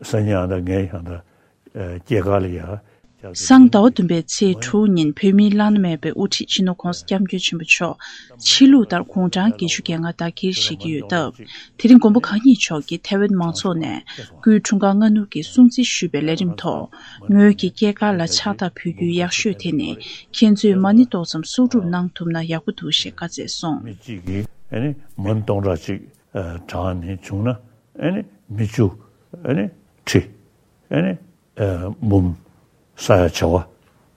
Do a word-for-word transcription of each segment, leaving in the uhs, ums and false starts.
སང་ཉིན་ཡང་ད་ངས་ཡང་ད་སྐྱེས་སྐར་ལ་ཡ། སང་ཟླ་བ་བདུན་པའི་ཚེས་དྲུག་ཉིན་བོད་མིའི་བླ་ན་མེད་པའི་དབུ་ཁྲིད་སྤྱི་ནོར་༧གོང་ས་༧སྐྱབས་མགོན་ཆེན་པོ་མཆོག་ཕྱི་ལུགས་ལྟར་དགུང་གྲངས་བརྒྱད་ཅུ་གྱ་ལྔ་དར་འཁྱེར་བཞེས་ཀྱི་ཡོད་སྟབས། དེ་རིང་མགོན་པོ་གང་ཉིད་མཆོག་གིས་ཐའེ་ཝན་མང་ཚོགས་ནས་སྐུའི་འཁྲུངས་སྐར་སྔ་སྣུར་གྱི་སྲུང་བརྩི་ཞུས་པའི་ལས་རིམ་ཐོག་ངོས་ཀྱི་སྐྱེས་སྐར་ལ་ཕྱག་རྟགས་ཕུལ་རྒྱུའི་ཡག་ཤོས་དེ་ནི་ཁྱེད་ཚོས་མ་ཎི་ཏོག་ཙམ་གསོག་སྒྲུབ་གནང་ཐུབ་ན་ཡག་པོ་འདུག་ཞེས་བཀའ་སྩལ་སོང་། མི་གཅིག་གིས་ཨ་ནི་མ་ཎི་སྟོང་ཕྲག་གཅིག་བགྲངས་ནས་བྱུང་ན་ཨ་ནི་མི་བཅུ་ཨ་ནི་ཁྲི་ཨ་ནི་འབུམ་ས་ཡ་བྱེ་བ་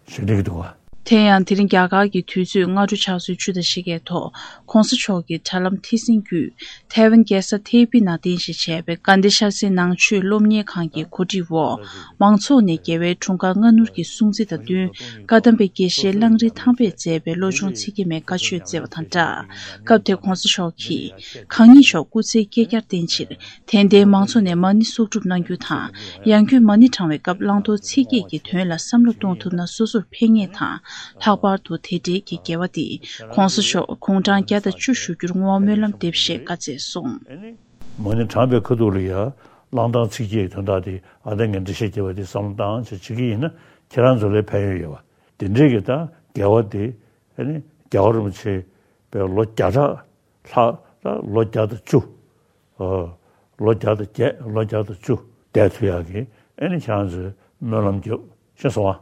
ཞིག་སླེབས་འདུག་བ། དེ་ཡང་དེ་རིང་རྒྱ་གར་གྱི་དུས་ཚོད་སྔ་དྲོ་ཕྱག་ཚོད་བཅུ་དང་ཕྱེད་ཀའི་ཐོག་༧གོང་ས་མཆོག་གི་དྲ་ལམ་ཐད་སྲིང་བརྒྱུད་ཐའེ་ཝན་རྒྱལ་ས་ཐའེ་པེ་ནང་རྟེན་གཞི་བྱས་པའི་དགའ་ལྡན་ཤར་རྩེ་ནང་ཆོས་སློབ་གཉེར་ཁང་གི་གོ་སྒྲིག་འོག་མང་ཚོགས་ནས་རྒྱལ་བའི་འཁྲུངས་སྐར་སྔ་སྣུར་གྱི་སྲུང་བརྩི་དང་བསྟུན་བཀའ་གདམས་པའི་དགེ་བཤེས་གླང་རི་ཐང་པས་མཛད་པའི་བློ་སྦྱོང་ཚིག་བརྒྱད་མའི་བཀའ་ཆོས་སྩལ་བ་དང་སྦྲགས། སྐབས་དེར་༧གོང་ས་མཆོག་གིས་གང་ཉིད་མཆོག་སྐུ་ཚེའི་བསྐལ་བརྒྱར་བརྟན་ཕྱིར་དད་ལྡན་མང་ཚོགས་ནས་མ་ཎི་གསོག་སྒྲུབ་གནང་རྒྱུ་དང་། ཡང་སྒོས་མ་ཎི་བགྲང་བའི་སྐབས་བླང་དོར་ཚིག་བརྒྱད་ཀྱི་དོན་ལ་བསམ་བློ་གཏོང་ཐུབ་ན་སོ་སོར་ཕན་ངེས་དང་། ལྷག་པར་དུ་དེ་འབྲེལ་གྱི་དགེ་བ་འདི་༧གོང་ས་མཆོག་དགུང་གྲངས་བརྒྱ་དང་བཅུ་བཞུགས་རྒྱུར་བསྔོ་བ་སྨོན་ལམ་འདེབས་ཞེས་བཀའ་སྩལ་སོང་། མ་ཎི་བགྲངས་པའི་ཁ་ཐུག་ལ་ཡ་བླང་དོར་ཚིག་བརྒྱད་ཀྱི་དོན་དག་དེ་ཨ་ད་ངས་འགྲེལ་བཤད་རྒྱབ་པ་དེ་བསམ་བློ་བཏང་བྱས་བྱེད་ཀྱི་ཡིན་ན་ཁྱེད་རང་ཚོ་ལ་ཕན་ཡོན་ཡོད་པ། དེ་འདྲའི་གི་ད་དགེ་བ་དེ་ཨ་ནི་རྒྱལ་བ་རིན་པོ་ཆེ་པའི་ལོ་བརྒྱ་ཕྲག་ལྷག་ད་ལོ་བརྒྱ་དང་བཅུ། ཨ། ལོ་བརྒྱ་དང་བརྒྱད་ལོ་བརྒྱ་དང་བཅུ་བསྡད་ཐུབ་ཡག་གི་ཨ་ནི་ཁྱེད་རང་ཚོས་སྨོན་ལམ་རྒྱབ་ཤེས་སོང་ཨ།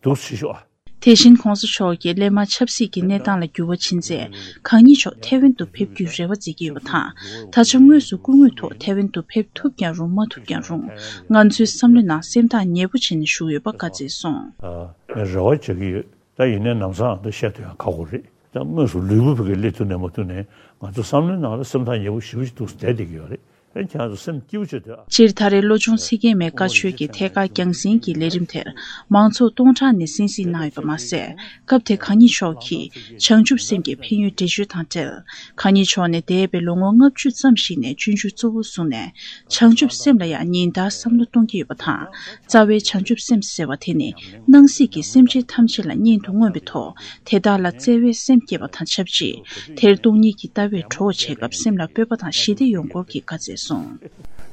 འདུག་སེ་ཤོག་ཨ། དེ་བཞིན་༧གོང་ས་མཆོག་གིས་སླད་མར་ཆབ་སྲིད་ཀྱི་གནས་སྟངས་ལ་འགྱུར་བ་ཕྱིན་ཚེ་གང་ཉིད་མཆོག་ཐའེ་ཝན་དུ་ཕེབས་རྒྱུའི་རེ་བ་མཛད་ཀྱི་ཡོད་པ་དང་། ད་ཆ་དངོས་སུ་སྐུ་དངོས་ཐོག་ཐའེ་ཝན་དུ་ཕེབས་ཐུབ་ཀྱང་རུང་མ་ཐུབ་ཀྱང་རུང་། ང་ཚོའི་བསམ་བློའི་ནང་སེམས་ཐག་ཉེ་པོ་བྱས་ནས་བཞུགས་ཡོད་པ་བཀའ་སྩལ་སོང་། ཨ། ངས་རེ་བ་བྱེད་ཀྱི་ཡོད། ད་ཡིན་ནའི་ནམ་སང་ད་བཤད་ཐུབ་ཡང་ཁག་པོ་རེད། ད་དངོས་སུ་ལུས་པོ་ཕ་གིར་སླེབས་ཐུབ་ནའི་མ་ཐུབ་ནའི་ང་ཚོ་བསམ་བློའི་ནང་ལ་སེམས་ཐག་ཉེ་པོ་ཞེ་པོ་ཅིག་འདུག་སེ་བསྡད་བསྡད་ཀྱི་ཡོད་རེད། ཨེ་ཁྱེད་ཚོ་སེམས་སྐྱིད་པོ་བྱེད་དུས་ཨ། སྤྱིར་ད་རེས་བློ་སྦྱོང་ཚིག་བརྒྱད་མའི་བཀའ་ཆོས་ཀྱི་ཐད་ཀར་རྒྱང་སྲིང་གི་ལས་རིམ་དེར་མང་ཚོགས་སྟོང་ཕྲག་ནས་གསན་གཟིགས་གནང་ཡོད་པ་མ་ཟད། སྐབས་དེར་གང་ཉིད་མཆོག་གིས་བྱང་ཆུབ་སེམས་ཀྱི་ཕན་ཡོན་འགྲེལ་བརྗོད་དང་འབྲེལ། གང་ཉིད་མཆོག་ནི་འདས་པའི་ལོ་ངོ་ལྔ་བཅུ་ཙམ་ཞིག་ནས་སྤྱོད་འཇུག་གཙོ་བོར་བཟུང་ནས་བྱང་ཆུབ་སེམས་ལ་ཡང་ཉིན་ལྟར་བསམ་བློ་གཏོང་གི་ཡོད་པ་དང་། རྩ་བའི་བྱང་ཆུབ་སེམས་ཟེར་བ་དེ་ནི་སྣང་སྲིད་ཀྱི་སེམས་ཅན་ཐམས་ཅད་ལ་གཉེན་དུ་མངོན་པའི་ཐོག་དེ་དག་ལ་བརྩེ་བའི་སེམས་སྐྱེས་པ་དང་ཆབས་ཅིག་དེར་སྟོང་ཉིད་ཀྱི་ལྟ་བས་གྲོགས་བྱེད་སྐབས་སེམས་ལ་སྤོབས་པ་དང་ཞི་བདེ་ཡོང་སྐོར་གྱི་བཀའ་སྩལ་སོང་།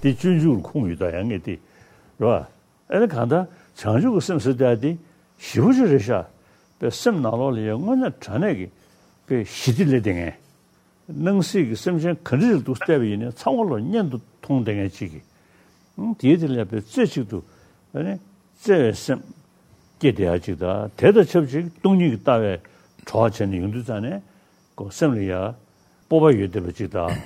འདི་སྤྱོད་འཇུག་ལ་ཁུངས་ཡོད་ད་ཡང་ངས་དེ་རེད་བ། ཨེ་ནི་གང་ལྟར་བྱང་ཆུབ་ཀྱི་སེམས་ཟེར་ཡ་དེ་ཞེ་པོ་ཅིག་རེད་ཤག་པའི་སེམས་ནང་ལོགས་ལ་ཡང་དངོས་གནས་དྲང་གནས་ཀྱི་པའི་ཞི་བདེ་སླེབས་བསྡད་མཁན། སྣང་སྲིད་ཀྱི་སེམས་ཅན་ག་འདྲ་ཞིག་འདུག་བལྟས་པ་ཡིན་ནའི་ཚང་མ་ལོ་གཉེན་དུ་མཐོང་བསྡད་མཁན་ཅིག་གིས། ཨང་། དེའི་དེ་ལ་ཡང་པའི་རྩེ་གཅིག་ཏུ་ཨ་ནི་བརྩེ་བའི་སེམས་སྐྱེས་བསྡད་ཡ་ཅིག་དང་། དེ་དང་ཆབས་ཅིག་སྟོང་ཉིད་ཀྱི་ལྟ་བའི་གྲོགས་བྱས་ནས་ཡོང་དུས་ཙང་ནས་ཁོ་སེམས་ལ་ཡ་སྤོབས་པ་ཡོད་བསྡད་པ་ཅིག་དང་།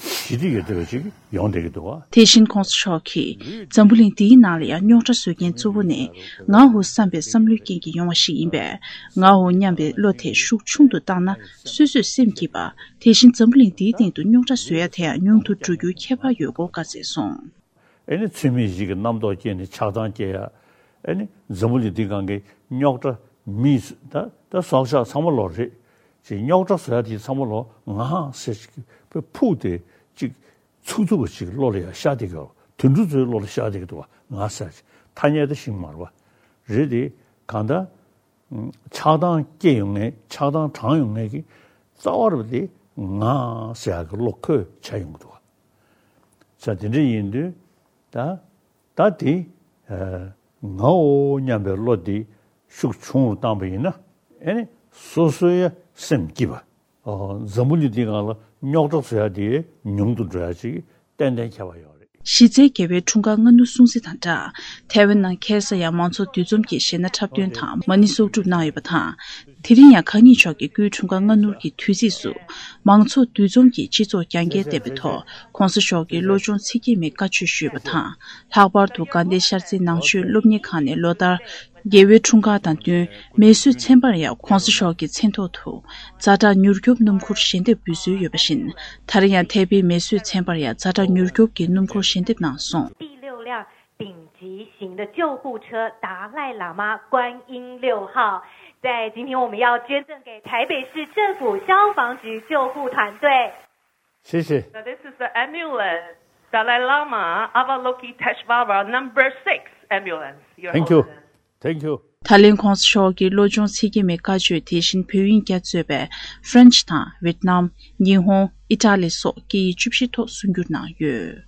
ཞི་བདེ་ཡོད་བསྡད་པ་ཅིག་ཡོང་བསྡད་ཀྱི་འདུག་བ། དེ་བཞིན་༧གོང་ས་མཆོག་གིས་འཛམ་བུ་གླིང་འདིའི་ནང་ལ་ཡང་རྙོག་དྲ་བཟོ་མཁན་གཙོ་བོ་ནི་ང་འོ་བསམ་པའི་བསམ་བློའི་རྐྱེན་གྱིས་ཡོང་བ་ཞིག་ཡིན་པས། ང་འོ་སྙམ་པའི་བློ་དེ་ཤུགས་ཆུང་དུ་བཏང་ན་སོ་སོས་སེམས་སྐྱིད་པ། དེ་བཞིན་འཛམ་བུ་གླིང་འདིའི་སྟེང་དུ་རྙོག་དྲ་བཟོ་ཡ་དེ་ཡང་ཉུང་དུ་འགྲོ་རྒྱུའི་ཁྱད་པར་ཡོད་སྐོར་བཀའ་སྩལ་སོང་། ཨེ་ནི་ཚུལ་མིན་ཞིག་གི་རྣམ་རྟོག་སྐྱེས་ནས་ཆགས་སྡང་སྐྱེ་ཡ། ཨེ་ནི་འཛམ་བུ་གླིང་འདི་སྒང་གི་རྙོག་དྲ་མིས་ད་ད་སྲོག་ཆགས་ཚང་མ་ལོ་རེད། ཅིག་རྙོག་དྲ་བཟོ་ཡ་དེ་ཚང་མ་ལོ་ང་ཟེར་ཅིག་ཕུག་སྟེ་ཅིག་ཚུགས་ཚུགས་པ་ཅིག་བློ་ལ་ཡ་ཤར་བསྡད་ཀྱི་ཡོད། དུད་འགྲོ་ཚོའི་བློ་ལ་ཤར་བསྡད་ཀྱི་འདུག་བ། ང་ཟེར་ཅིག་ཐ་སྙད་དེ་ཤིང་མར་བ་རེད་དེ། གང་ལྟར། ཆགས་སྡང་སྐྱེ་ཡོང་ངེས་ཆགས་སྡང་དྲངས་ཡོང་ངེས་ཀྱི་རྩ་བ་རུ་དེ་ང་ཟེར་ཡག་གི་བློ་ཁོས་བྱས་ཡོང་གི་འདུག་བ། ས་དེ་འདྲ་ཡིན་དུས་ད་ད་དེ་ངའོ་སྙམ་པའི་བློ་དེ་ཤུགས་ཆུང་རུ་བཏང་པ་ཡིན་ན་ཨེ་ནི་སོ་སོའི་སེམས་སྐྱིད་པ། འཛམ་བུ་གླིང་འདིའི་སྒང་ལ་རྙོག་དྲ་བཟོ་ཡ་དེ་ཉུང་དུ་འགྲོ་ཡ་ཅིག་ཏན་ཏན་ཁྱད་པར་ཡོད་རེད། གཞི་རྩའི་རྒྱལ་བའི་འཁྲུངས་སྐར་སྔ་སྣུར་སྲུང་བརྩི་དང་སྦྲགས། ཐའེ་ཝན་ནང་ཁ་སང་ཡང་མང་ཚོགས་འདུ་འཛོམས་ཀྱིས་གཞས་སྣ་འཁྲབ་སྟོན་དང་མ་ཎི་གསོག་སྒྲུབ་གནང་ཡོད་པ་དང་། དེ་རིང་ཡང་གང་ཉིད་མཆོག་གི་སྐུའི་འཁྲུངས་སྐར་སྔ་སྣུར་གྱི་དུས་ཚིགས་སུ། མང་ཚོགས་འདུ་འཛོམས་ཀྱིས་སྤྱི་ཚོགས་རྒྱ་སྐྱེད་ལྡན་པའི་ཐོག་༧གོང་ས་མཆོག་གི་བློ་སྦྱོང་ཚིག་བརྒྱད་མའི་བཀའ་ཆོས་ཞུས་པ་དང་། ལྷག་པར་དུ་དགའ་ལྡན་ཤར་རྩེའི་ནང་ཆོས་སློབ་གཉེར་ཁང་ནས་ལོ་ལྟར། རྒྱལ་བའི་འཁྲུངས་སྐར་དང་བསྟུན་མེ་གསོད་ཚན་པར་ཡང་༧གོང་ས་མཆོག་གི་མཚན་ཐོག་ཏུ་ཛ་དྲག་མྱུར་སྐྱོབ་སྣུམ་འཁོར་ཞལ་འདེབས་འབུལ་སྲོལ་ཡོད་པ་བཞིན། ད་རེས་ཡང་ཐའེ་པེའི་མེ་གསོད་ཚན་པར་ཡང་ཛ་དྲག་མྱུར་སྐྱོབ་ཀྱི་སྣུམ་འཁོར་ཞལ་འདེབས་གནང་སོང་། 第六辆顶级型的救护车达赖喇嘛观音六号，在今天我们要捐赠给台北市政府消防局救护团队。谢谢。 Now this is the ambulance, Dalai Lama Avalokiteshvara number six ambulance. Your Thank you. Holiness. Thank you. ད་ལན་༧གོང་ས་མཆོག་གི་བློ་སྦྱོང་ཚིག་བརྒྱད་མའི་བཀའ་ཆོས་དེ་བཞིན་བོད་ཡིག་རྒྱ་གཙོས་པའི་ཧྥ་རན་ཆི་དང་ཝེད་ནམ། ཉི་ཧོང་། ཨི་ཊ་ལི་སོགས་སྐད་ཡིག་བཅུ་བཞི་ཐོག་གསུང་སྒྱུར་གནང་ཡོད།